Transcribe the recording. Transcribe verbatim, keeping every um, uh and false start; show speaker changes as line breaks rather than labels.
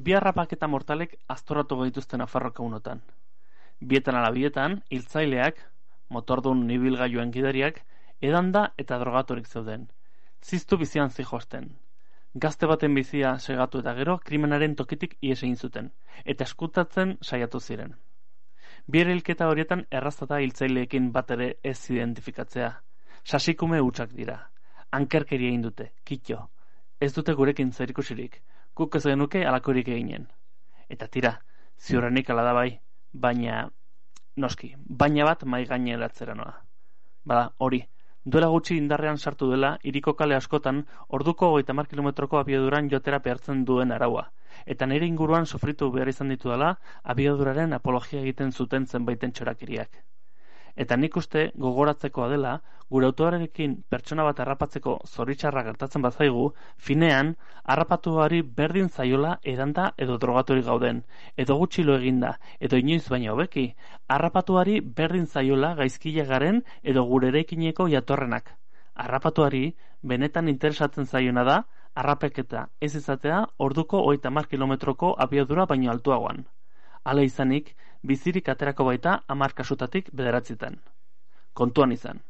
Bi harrapaketa mortalek aztoratu gaituzten Nafarroako unotan. Bietan ala bietan, hiltzaileak, motordun ibilgailuen gidariak, edanda eta drogaturik zeuden. Ziztu bizian zijosten. Gazte baten bizia segatu eta gero, krimenaren tokitik ihes egin zuten, eta eskutatzen saiatu ziren. Bi hilketa horietan erraztata hiltzaileekin bat ere ez identifikatzea. Sasikume hutsak dira. Ankerkeria egin dute, kitxo. Ez dute gurekin zerikusirik, guk ez genuke alakorik eginen. Eta tira, ziurrenik ala da bai, baina, noski, baina bat mai gaineratzera noa. Bada, hori, duela gutxi indarrean sartu dela, hiriko kale askotan, orduko hogeita hamar kilometroko abiaduran jotera behartzen duen araua, eta nire inguruan sofritu behar izan ditu dela, abiaduraren apologia egiten zuten zenbaiten txorakiriak. Eta nik uste gogoratzekoa dela, gure autoarekin pertsona bat harrapatzeko zoritxarra gertatzen bazaigu, finean, harrapatuari berdin zaiola edanda edo drogaturik gauden, edo gutxilo eginda, edo inoiz baina hobeki, harrapatuari berdin zaiola gaizkile garen edo gure eraikineko jatorrenak. Harrapatuari benetan interesatzen zaiona da, harrapeketa ez izatea orduko hogeita hamar kilometroko abiadura baino altuagoan. Hala izanik, bizirik aterako baita hamar kasutatik bederatzitan. Kontuan izan.